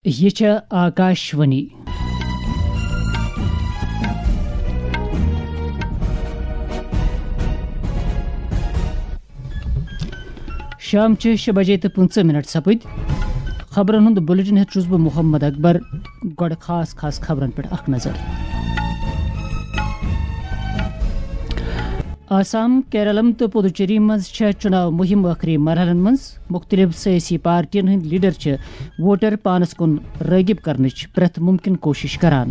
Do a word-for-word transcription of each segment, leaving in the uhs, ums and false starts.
یہِ چھےٚ آکاشوانی۔ شام چہِ شےٚ بجے تہٕ پٕنٛژٕہ منٹ سپٕدۍ۔ خبرن ہُنٛد بلیٹن ہٮ۪تھ چھُس بہٕ محمد اکبر۔ گۄڈٕ خاص خاص خبرن پٮ۪ٹھ اکھ نظر۔ آسام، کیرلم تہٕ پدوچیری منٛز چھےٚ چُناو مُہِم ٲخری مرحلن منٛز۔ مُختٔلِف سیٲسی پارٹین ہٕنٛدۍ لیڈر چھِ ووٹر پانس کُن رٲغب کرنٕچ پرٛٮ۪تھ مُمکِن کوٗشِش کران۔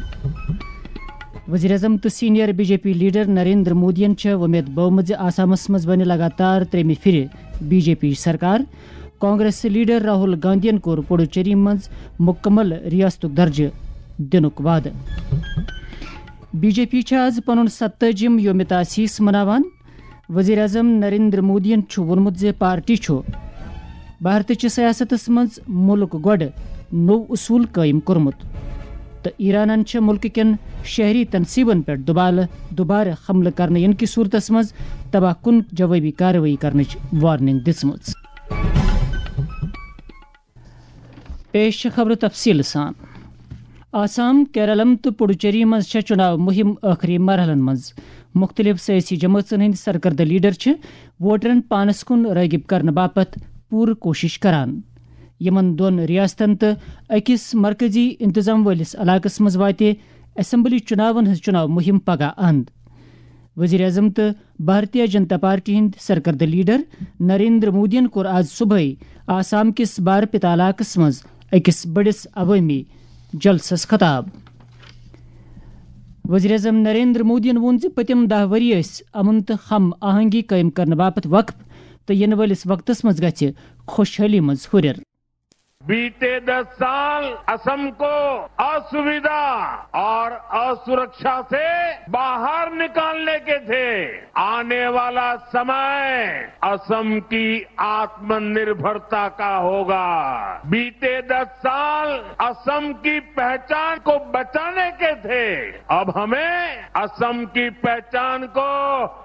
وزیر اعظم تہٕ senior B J P leader Narendra مودیَن چھےٚ وۄمید بٲومٕژ زِ آسامس منٛز بنہِ لگاتار ترٛیٚیمہِ پھِرِ بی جے پی سرکار۔ کانگریس لیڈر راہل گاندھین کوٚر پڈوچیری منٛز مکمل ریاستُک درجہٕ دِنُک وعدٕ۔ بی جے پی چھےٚ آز پنُن ستٲجِم یوم تاسیس مناوان۔ وزیر اعظم نریندر مودیَن چھُ ووٚنمُت زِ پارٹی چھُ بھارتٕچہِ سیاستس منٛز مُلک گۄڈٕ نوٚو اصوٗل قٲیِم کوٚرمُت تہٕ ایرانن چھےٚ مُلکہٕ کٮ۪ن شہری تنصیبن پٮ۪ٹھ دوبالہٕ، دوبارٕ حملہٕ کرنہٕ یِنہٕ کِس صورتس منٛز تباہ کُن جوٲبی کاروٲیی کرنٕچ وارننگ دِژمٕژ۔ پیش چھِ خبرٕ تفصیٖل سان۔ آسام، کیرلم تہٕ پڈوچیری منٛز چھےٚ چُناو مُہِم ٲخری مرحلن منٛز۔ مُختٔلِف سیٲسی جمٲژن ہٕنٛدۍ سرکردٕ لیڈر چھِ ووٹرن پانس کُن رٲغب کرنہٕ باپتھ پوٗرٕ کوٗشِش کران۔ یِمن دۄن ریاستن تہٕ أکِس مرکزی انتظام وٲلِس علاقس منٛز واتہِ اسمبلی چُناون ہٕنٛز چُناو مُہِم پگاہ اند۔ وزیر اعظم تہٕ بھارتیہ جنتا پارٹی ہٕنٛدۍ سرکردٕ لیڈر نریندر مودیَن کوٚر آز صبحٲے آسام کِس بارپیتا علاقس منٛز أکِس بٔڑِس عوٲمی جلسس خطاب۔ وزیر اعظم نریندر مودیَن ووٚن زِ پٔتِم دَہ ؤری ٲسۍ امن تہٕ ہم آہنگی قٲیِم کرنہٕ باپتھ وقف تہٕ یِنہٕ وٲلِس وقتس منٛز گژھِ خۄشحٲلی منٛز ہُرٮ۪ر۔ बीते दस साल असम को असुविधा और असुरक्षा से बाहर निकालने के थे। आने वाला समय असम की आत्मनिर्भरता का होगा। बीते दस साल असम की पहचान को बचाने के थे। अब हमें असम की पहचान को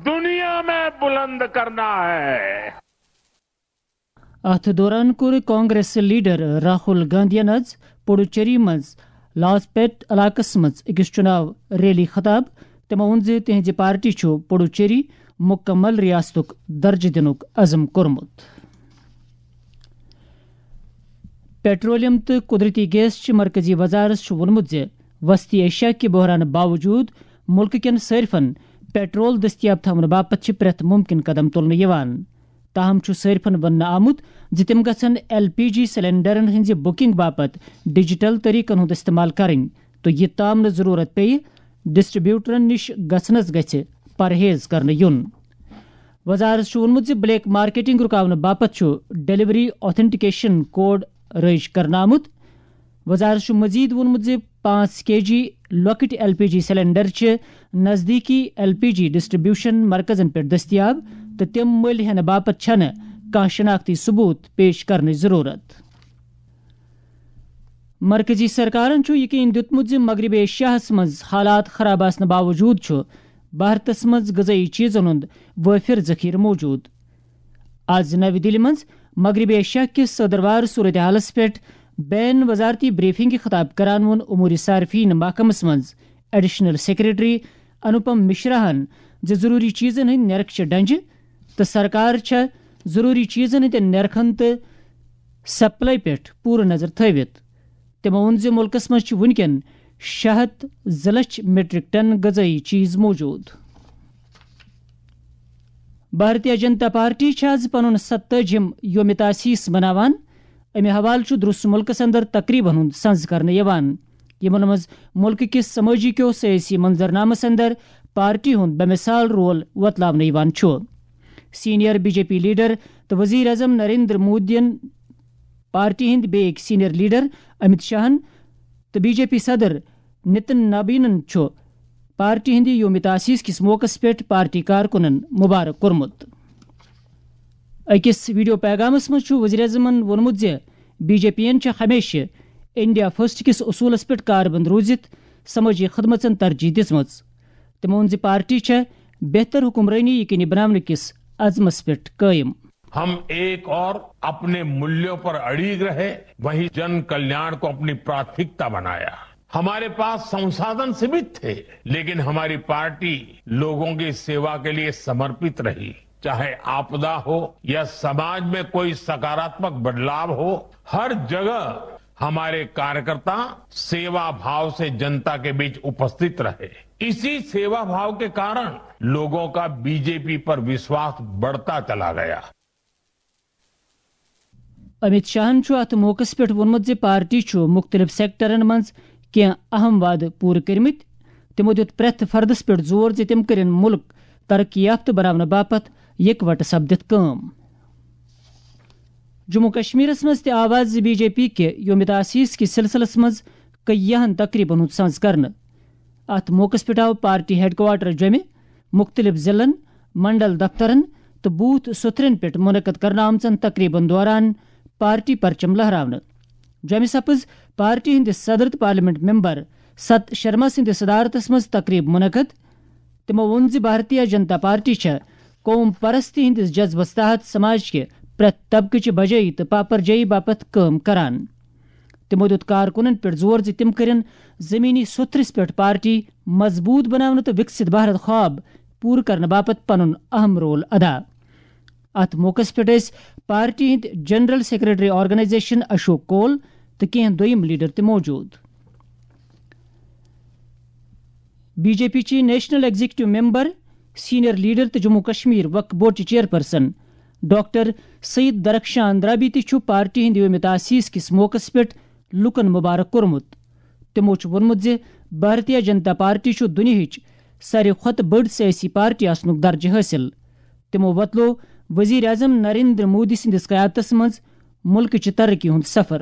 दुनिया में बुलंद करना है। اتھ دوران کوٚر کانگریس لیڈر راہل گاندھین آز پڈوچیری منٛز لاسپیٹ علاقس منٛز أکِس چُناو ریلی خطاب۔ تٔمۍ ووٚن زِ تِہنٛزِ پارٹی چھُ پڈوچیری مُکمل ریاستُک درجہٕ دِنُک عزم کوٚرمُت۔ پیٹرولیم تہٕ قدرتی گیس چہِ مرکزی وزارت چھُ ووٚنمُت زِ وسطی ایشیا کہِ بحرانہٕ باوجود مُلکہٕ کٮ۪ن صٲرفن پیٹرول دٔستیاب تھاونہٕ باپتھ چھِ پرٛٮ۪تھ مُمکِن قدم تُلنہٕ یِوان۔ تاہم چھُ صٲرفن وننہٕ آمُت زِ تِم گژھن ایل پی جی سلنڈرن ہٕنٛزِ بُکنگ باپتھ ڈیجیٹل طریقن ہُنٛد استعمال کرٕنۍ تہٕ یہِ تام نہٕ ضروٗرت پیٚیہِ، ڈسٹریبیوٹرن نِش گژھنس گژھِ پرہیز کرنہٕ یُن۔ وزارت چھُ ووٚنمُت زِ بلیک مارکیٹنگ رُکاونہٕ باپتھ چھُ ڈیلیوری آتھنٹیکیشن کوڈ رٲیِج کرنہٕ آمُت۔ وزارت چھُ مزید ووٚنمُت زِ پانٛژھ کے جی لۄکٕٹۍ ایل پی جی سلنڈر چھِ نزدیٖکی ایل پی جی ڈسٹریبیوشن مرکزن پٮ۪ٹھ دٔستیاب تہٕ تِم مٔلۍ ہٮ۪نہٕ باپتھ چھَنہٕ کانٛہہ شناختی ثبوت پیش کرنٕچ ضروٗرت۔ مرکزی سرکارن چھُ یقین دیُتمُت زِ مغربی ایشیاہَس منٛز حالات خراب آسنہٕ باوجود چھُ بھارتس منٛز غذٲیی چیزن ہُنٛد وٲفر ذخیرٕ موجود۔ آز نَوِ دِلہِ منٛز مغربی ایشیا کِس ژٔدٕروار صورتحالَس پٮ۪ٹھ بین وزارتی بریفنگہِ خطاب کران ووٚن امور صارفین محکمَس منٛز ایڈیشنل سیکرٹری انوپم مشراہَن زِ ضروٗری چیزن ہٕنٛدۍ نرخ چھِ ڈنجہِ تہٕ سرکار چھےٚ ضروٗری چیزن ہٕنٛدٮ۪ن نرخن تہٕ سپلائی پٮ۪ٹھ پوٗرٕ نظر تھٲوِتھ۔ تٔمۍ ووٚن زِ مُلکَس منٛز چھِ وُنکٮ۪ن شےٚ ہَتھ زٕ لَچھ میٹرک ٹن غذٲیی چیز موجود۔ بھارتیہ جنتا پارٹی چھِ آز پنُن ستٲجِم یوم تاسیس مناوان۔ امہِ حوالہٕ چھُ درست مُلکَس اندر تقریبن ہُنٛد سنز کرنہٕ یِوان، یِمن منٛز مُلکہٕ کِس سمٲجی کیو سیٲسی منظرنامس اندر پارٹی ہُنٛد بے مثال رول وۄتلاونہٕ یِوان چھُ۔ Senior B J P leader تہٕ وزیر اعظم نریندر مودیَن، پارٹی ہٕنٛدۍ بیٚیہِ أکۍ سینئر لیڈر امت شاہن تہٕ بی جے پی صدر نتن نابینن چھُ پارٹی ہٕنٛدِ یوم تاسیس کِس موقعس پٮ۪ٹھ پارٹی کارکُنن مبارک کوٚرمُت۔ أکِس ویڈیو پیغامس منٛز چھُ وزیر اعظمن ووٚنمُت زِ بی جے پی یَن چھِ ہمیشہِ انڈیا فرسٹ کِس اصوٗلس پٮ۪ٹھ کاربند روٗزِتھ سمٲجی خدمژن ترجیح دِژمٕژ۔ تٔمۍ ووٚن زِ پارٹی چھےٚ بہتر حکمرٲنی یقینی بناونہٕ کِس عزمس پٮ۪ٹھ قٲیِم۔ हम एक और अपने मूल्यों पर अड़िग रहे, वहीं जन कल्याण को अपनी प्राथमिकता बनाया। हमारे पास संसाधन सीमित थे, लेकिन हमारी पार्टी लोगों की सेवा के लिए समर्पित रही। चाहे आपदा हो या समाज में कोई सकारात्मक बदलाव हो, हर जगह हमारे कार्यकर्ता सेवा भाव से जनता के बीच उपस्थित रहे। इसी सेवा भाव के कारण लोगों का बीजेपी पर विश्वास बढ़ता चला गया। امیت شاہن چھُ اتھ موقعس پٮ۪ٹھ ووٚنمُت زِ پارٹی چھُ مُختٔلِف سیکٹرن منٛز کینٛہہ اہم وعدٕ پوٗرٕ کٔرمٕتۍ۔ تِمو دیُت پرٛٮ۪تھ فردس پٮ۪ٹھ زور زِ تِم کٔرِن مُلک ترقی یافتہٕ بناونہٕ باپتھ یکوٹہٕ سپدِتھ کٲم۔ جموں کشمیرس منٛز تہِ آو آز بی جے پی کہِ یوم تاسیس کِس سلسلس منٛز کیاہن تقریبن ہُنٛد سنز کرنہٕ۔ اتھ موقعس پٮ۪ٹھ آو پارٹی ہیڈ کوارٹر جوٚمہِ، مُختٔلِف ضلعن، منڈل دفترن تہٕ بوتھ سوٚتھرٮ۪ن پٮ۪ٹھ منعقد کرنہٕ آمژن تقریبن دوران پارٹی پرچم لہراونہٕ۔ جوٚمہِ سپٕز پارٹی ہٕنٛدِ صدر تہٕ پارلیمنٹ ممبر ست شرما سٕنٛدِ صدارتس منٛز تقریب منعقد۔ تِمو ووٚن زِ بھارتیہ جنتا پارٹی چھےٚ قوم پرستی ہٕنٛدِس جذبس تحت سماج کہِ پرٛٮ۪تھ طبقہٕ چہِ بجٲیی تہٕ پاپرجٲیی باپتھ کٲم کران۔ تِمو دیُت کارکُنن پٮ۪ٹھ زور زِ تِم کٔرِن زمینی سوٚتھرِس پٮ۪ٹھ پارٹی مضبوٗط بناونہٕ تہٕ وِکسِت بھارت خواب پوٗرٕ کرنہٕ باپتھ پنُن اہم رول ادا۔ اتھ موقعس پٮ۪ٹھ ٲسۍ پارٹی ہٕنٛدۍ جنرل سیکرٹری آرگنائزیشن اشوک کول تہٕ کینٛہہ دوٚیِم لیڈر تہِ موجود۔ بی جے پی چہِ national executive member, senior leader تہٕ جموں کشمیر وقف بورڈ چہِ چیئرپرسن ڈاکٹر سید درخشان درابی تہِ چھُ پارٹی ہٕنٛدِ یوم تاسیس کِس موقعس پٮ۪ٹھ لوٗکن مبارک کوٚرمُت۔ تِمو چھُ ووٚنمُت زِ بھارتیہ جنتا پارٹی چھُ دُنیاہٕچ ساروی کھۄتہٕ بٔڑ سیٲسی پارٹی آسنُک درجہٕ حٲصِل۔ تِمو وۄتلوو وزیر اعظم نریندر مودی سٕنٛدِس قیادتس منٛز مُلکٕچہِ ترقی ہُنٛد سفر۔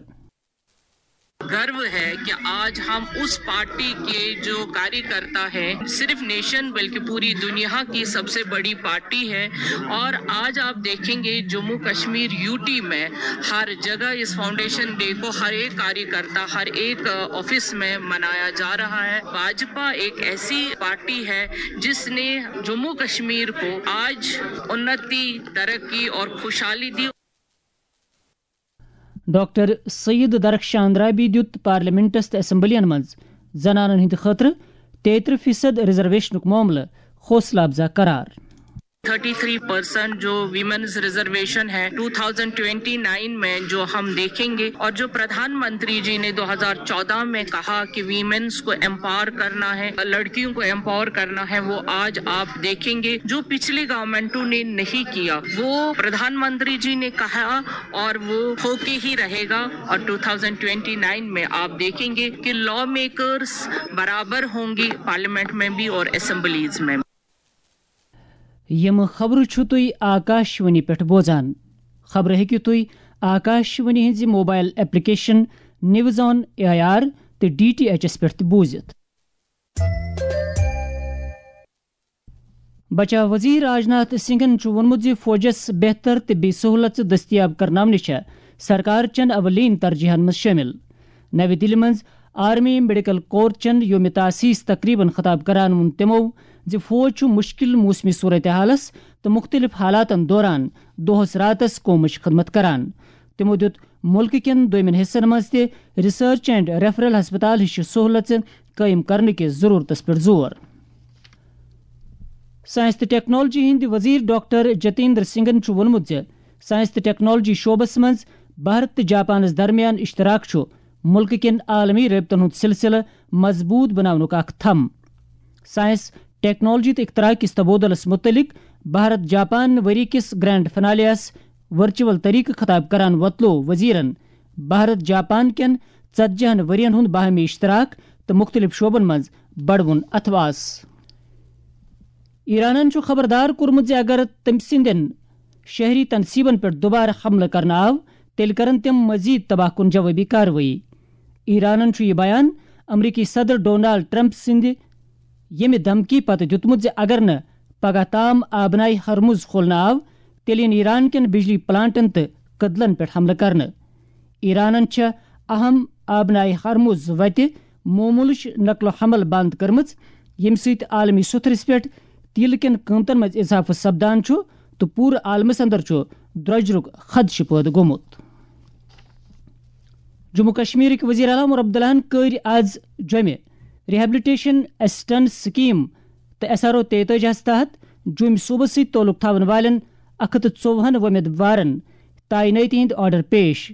गर्व है कि आज हम उस पार्टी के जो कार्यकर्ता हैं, सिर्फ नेशन बल्कि पूरी दुनिया की सबसे बड़ी पार्टी है। और आज आप देखेंगे जम्मू कश्मीर यूटी में हर जगह इस फाउंडेशन डे को हर एक कार्यकर्ता, हर एक ऑफिस में मनाया जा रहा है। भाजपा एक ऐसी पार्टी है जिसने जम्मू कश्मीर को आज उन्नति, तरक्की और खुशहाली दी। ڈاکٹر سید درخشان رابی دیُت پارلیمنٹس تہٕ اسمبلین منٛز زنانن ہٕنٛدِ خٲطرٕ تیترہ فیصد ریزرویشنُک معاملہٕ حوصلہٕ افزا قرار۔ थर्टी थ्री परसेंट जो विमेंस रिजर्वेशन है टू थाउजेंड ट्वेंटी नाइन में जो हम देखेंगे, और जो प्रधानमंत्री जी ने दो हज़ार चौदह में कहा कि विमेंस को एम्पावर करना है, लड़कियों को एम्पावर करना है, वो आज आप देखेंगे जो पिछली गवर्नमेंटों ने नहीं किया, वो प्रधानमंत्री जी ने कहा और वो होके ही रहेगा। और टू थाउजेंड ट्वेंटी नाइन में आप देखेंगे कि लॉ मेकर्स बराबर होंगी पार्लियामेंट में भी और असेंबलीज में। یِم خبرٕ چھِو تُہۍ آکاشوانی پٮ۪ٹھ بوزان۔ خبرٕ ہیٚکِو تُہۍ آکاشوانی ہٕنٛزِ mobile application news on A I R تہٕ ڈی ٹی ایچ ایس پٮ۪ٹھ تہِ بوٗزِتھ۔ بچاو وزیر راجناتھ سنگھن چھُ ووٚنمُت زِ فوجس بہتر طبی سہولژٕ دٔستیاب کرناونہِ چھےٚ سرکار چٮ۪ن اولین ترجیحن منٛز شٲمِل۔ نوِ دِلہِ منٛز آرمی میڈیکل کور چٮ۪ن یوم تاسیس تقریبن خطاب کران ووٚن تِمو زِ فوج چھُ مُشکِل موسمی صورتحالس تہٕ مُختٔلِف حالاتن دوران دۄہس راتس قومٕچ خدمت کران۔ تِمو دیُت مُلکہٕ کٮ۪ن دوٚیمٮ۪ن حصن منٛز تہِ ریسرچ اینڈ ریفرل ہسپتال ہِشہِ سہولژٕ قٲیِم کرنہٕ کِس ضروٗرتس پٮ۪ٹھ زور۔ ساینس تہٕ ٹیکنالوجی ہٕنٛدۍ وزیر ڈاکٹر جتیندر سنگھن چھُ ووٚنمُت زِ ساینس تہٕ ٹیکنالوجی شعبس منٛز بھارت تہٕ جاپانس درمیان اشتراک چھُ مُلکہٕ کٮ۪ن عالمی رٲبطن ہُنٛد سلسلہٕ مضبوٗط بناونُک اکھ تھم۔ ساینس، ٹیکنالوجی تہٕ اختراع کِس تبادلس مُتعلق بھارت جاپان ؤری کِس گرینڈ فنالیَس ورچوئل طریقہٕ خطاب کران وۄتلوو وزیرن بھارت جاپان کٮ۪ن ژتجی ہن ؤرین ہُنٛد باہمی اشتراک تہٕ مُختٔلِف شعبن منٛز بڑوُن اتھواس۔ ایرانن چھُ خبردار کوٚرمُت زِ اگر تٔمۍ سٕنٛدٮ۪ن شہری تنصیبن پٮ۪ٹھ دوبارٕ حملہٕ کرنہٕ آو، تیٚلہِ کرن تِم مزید تباہ کن جوابی کاروٲیی۔ ایرانن چھُ یہِ بیان امریکی صدر ڈونالڈ ٹرمپ سٕنٛدِ ییٚمہِ دھمکی پتہٕ دیُتمُت زِ اگر نہٕ پگاہ تام آبنائے ہرمز کھولنہٕ آو، تیٚلہِ یِن ایران کٮ۪ن بجلی پلانٹن تہٕ کدلن پٮ۪ٹھ حملہٕ کرنہٕ۔ ایرانن چھےٚ اہم آبنائے ہرمز وتہِ مومولٕچ نقل و حمل بند کٔرمٕژ، ییٚمہِ سۭتۍ عالمی سوٚتھرِس پٮ۪ٹھ تیلہٕ کٮ۪ن قۭمتن منٛز اضافہٕ سپدان چھُ تہٕ پوٗرٕ عالمس اندر چھُ درۄجرُک خدشہٕ پٲدٕ گوٚمُت۔ جموں کشمیرٕکۍ وزیر اعلیٰ عمر عبداللہَن کٔرۍ آز جوٚمہِ ریہیبلیٹیشن اسسٹنس سکیم تہٕ ایس آر او تیتٲجی ہَس تحت جوٚمۍ صوبس سۭتۍ تعلق تھاون والٮ۪ن اکھ ہتھ تہٕ ژوٚوُہن وۄمیدوارن تعینٲتی ہٕنٛدۍ آرڈر پیش۔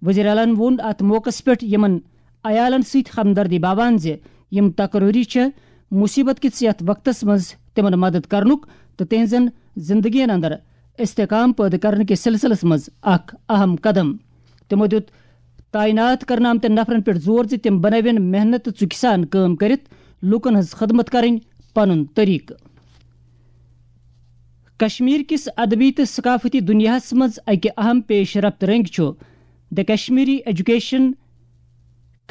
وزیر اعلیٰ ووٚن اتھ موقعس پٮ۪ٹھ یِمن عیالن سۭتۍ ہمدردی باوان زِ یِم تقرری چھِ مصیبت کِس یتھ وقتس منٛز تِمن مدد کرنُک تہٕ تِہنٛزن زندگین اندر استحکام پٲدٕ کرنہٕ کِس سلسلس منٛز اکھ اہم قدم۔ تِمو دیُت تعینات کرنہٕ آمتٮ۪ن نفرن پٮ۪ٹھ زور زِ تِم بنٲوِن محنت تہٕ ژُکہِ سان کٲم کٔرِتھ لوٗکن ہٕنٛز خدمت کرٕنۍ پنُن طریقہٕ۔ کشمیر کِس ادبی تہٕ ثقافتی دنیاہس منٛز اکہِ اہم پیش رفت رنگ چھُ The Kashmiri Education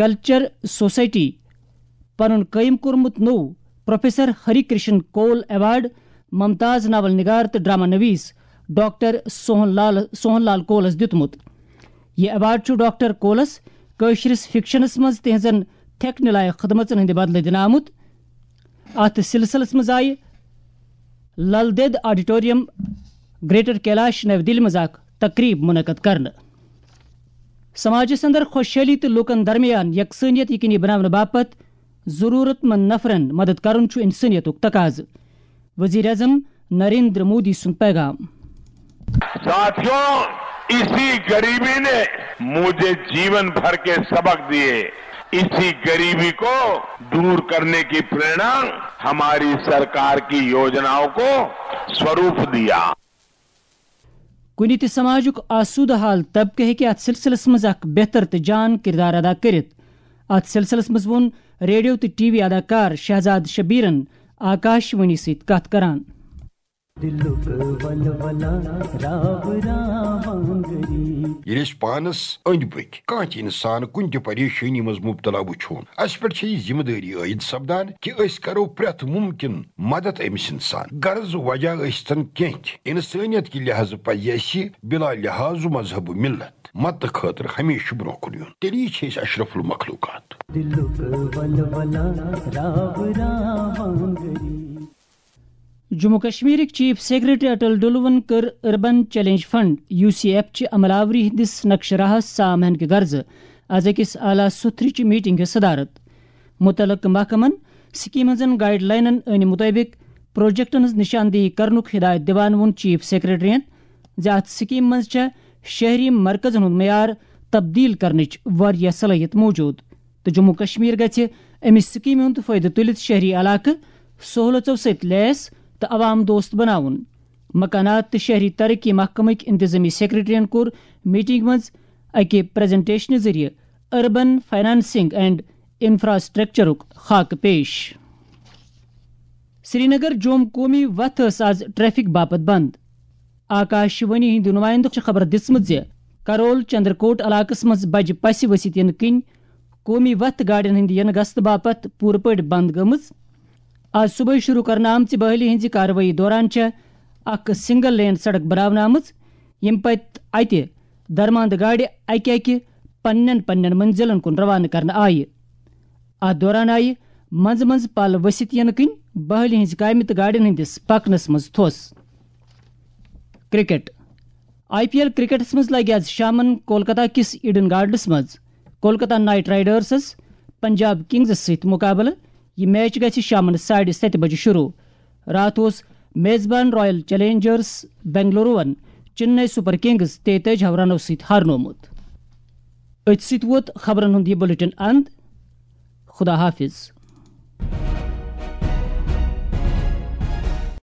Culture Society پنُن قٲیِم کوٚرمُت نوٚو پروفیسر ہری کرشن کول ایوارڈ ممتاز ناول نگار تہٕ ڈرامہ نویس ڈاکٹر سوہن لال، سوہن لال کولس دیُتمُت۔ یہِ ایوارڈ چھُ ڈاکٹر کولس کٲشرِس فکشنس منٛز تِہنٛزن تھٮ۪کنہٕ لایق خدمژن ہٕنٛدِ بدلہٕ دِنہٕ آمُت۔ اتھ سلسلس منٛز آیہِ لل دید آڈیٹوریم، گریٹر کیلاش، نَوِ دِلہِ منٛز اکھ تقریب منعقد کرنہٕ۔ سماجس اندر خوشحالی تہٕ لوٗکن درمیان یکسانیت یقینی بناونہٕ باپتھ ضرورت مند نفرن مدد کرُن چھُ انسانیتُک تقاضہٕ۔ وزیر اعظم نریندر مودی سُنٛد پیغام۔ ساتھیوں، اسی غریبی نے مجھے جیون بھر کے سبق دیے۔ اسی غریبی کو दूर करने की प्रेरणा हमारी सरकार की योजनाओं को स्वरूप दिया। کُنہِ تہِ سماجُک آسودٕ حال طبقہٕ ہیٚکہِ اتھ سلسلس منٛز اکھ بہتر تہٕ جان کردار ادا کٔرِتھ۔ اتھ سلسلس منٛز ووٚن ریڈیو تہٕ ٹی وی اداکار شہزاد شبیرن آکاش وانی سۭتۍ کتھ کران۔ دِلُک ولولہ راو راوانگری۔ ییٚلہِ أسۍ پانس أنٛدۍ پٔکۍ کانٛہہ تہِ انسان کُنہِ تہِ پریشٲنی منٛز مبتلا وٕچھون، اسہِ پٮ۪ٹھ چھےٚ یہِ ذمہٕ دٲری عٲید سپدان کہِ أسۍ کرو پرٛٮ۪تھ مُمکن مدد أمِس انسان، غرض وجہ ٲسۍتن کینٛہہ تہِ۔ انسٲنیت کہِ لحاظہٕ پزِ اسہِ بلا لحاظ مذہب و ملت مدتہٕ خٲطرٕ ہمیشہٕ برٛونٛہہ کُن یُن۔ تیٚلی چھِ أسۍ اشرف المخلوقات۔ دِلُک ولولہ راو راوانگری۔ جموں کشمیرٕکۍ چیف سیکرٹری اٹل ڈلوَن کٔر urban challenge fund, U C F, چہِ عمل آوری ہٕنٛدِس نقشہٕ راہس سام ہینہٕ کہِ غرضہٕ از أکِس اعلیٰ سطحٕچ میٹنگ ہٕنٛز صدارت۔ متعلقہٕ محکمن سکیمن ہٕنٛزن گائیڈ لائنن ہٕنٛدِ مُطٲبِق پروجیکٹن ہٕنٛز نشاندہی کرنُک ہدایت دِوان ووٚن چیف سیکرٹریَن زِ اتھ سکیمہِ منٛز چھےٚ شہری مرکزن ہُنٛد معیار تبدیل کرنٕچ واریاہ صلٲحیت موجود۔ تہٕ جموں کشمیر گژھِ امہِ سکیمہِ ہُنٛد فٲیدٕ تُلِتھ شہری علاقہٕ سہولژو سۭتۍ لیس تہٕ عوام دوست بناوُن۔ مکانات تہٕ شہری ترقی محکمٕکۍ انتظامی سیکرٹریَن کوٚر میٹنگ منٛز اکہِ پریزنٹیشنہٕ ذٔریعہٕ اربن فنانسنگ اینڈ انفراسٹرکچرُک خاکہٕ پیش۔ سرینگر جوم قومی وتھ ٲس آز ٹریفک باپتھ بند۔ آکاش وانی ہٕنٛدِ نُمٲیندٕ چھِ خبر دِژمٕژ زِ کرول چندرکوٹ علاقس منٛز بجہِ پسہِ ؤسِتھ یِنہٕ کِنۍ قومی وتھ گاڑٮ۪ن ہٕنٛدِ یِنہٕ گژھنہٕ باپتھ پوٗرٕ پٲٹھۍ بنٛد گٔمٕژ۔ آز صُبحٲے شروٗع کرنہٕ آمژِ بحٲلی ہٕنٛزِ کاروٲیی دوران چھےٚ اکھ سنگل لین سڑک بناونہٕ آمٕژ، ییٚمہِ پتہٕ اتہِ درماندٕ گاڑِ اکہِ اکہِ پننٮ۪ن پننٮ۪ن منزلن کُن روانہٕ کرنہٕ آیہِ۔ اتھ دوران آیہِ منٛزٕ منٛزٕ پل ؤسِتھ یِنہٕ کِنۍ بحٲلی ہٕنٛزِ کامہِ تہٕ گاڑٮ۪ن ہٕنٛدِس پکنس منٛز تھوٚس۔ کرکٹ۔ آئی پی ایل کرکٹس منٛز لگہِ آز شامن کولکتہ کِس ایڈن گارڈنس منٛز Kolkata Knight Riders Punjab Kings سۭتۍ مقابلہٕ۔ یہِ میچ گژھِ شامن ساڑِ ستہِ بجہِ شروع۔ راتھ اوس میزبان royal challengers Bengaluru Chennai super kings تیتٲجی ہو رنو سۭتۍ ہارنومُت۔ أتھۍ سۭتۍ ووت خبرن ہُنٛد یہِ بلیٹن اند۔ خدا حافظ۔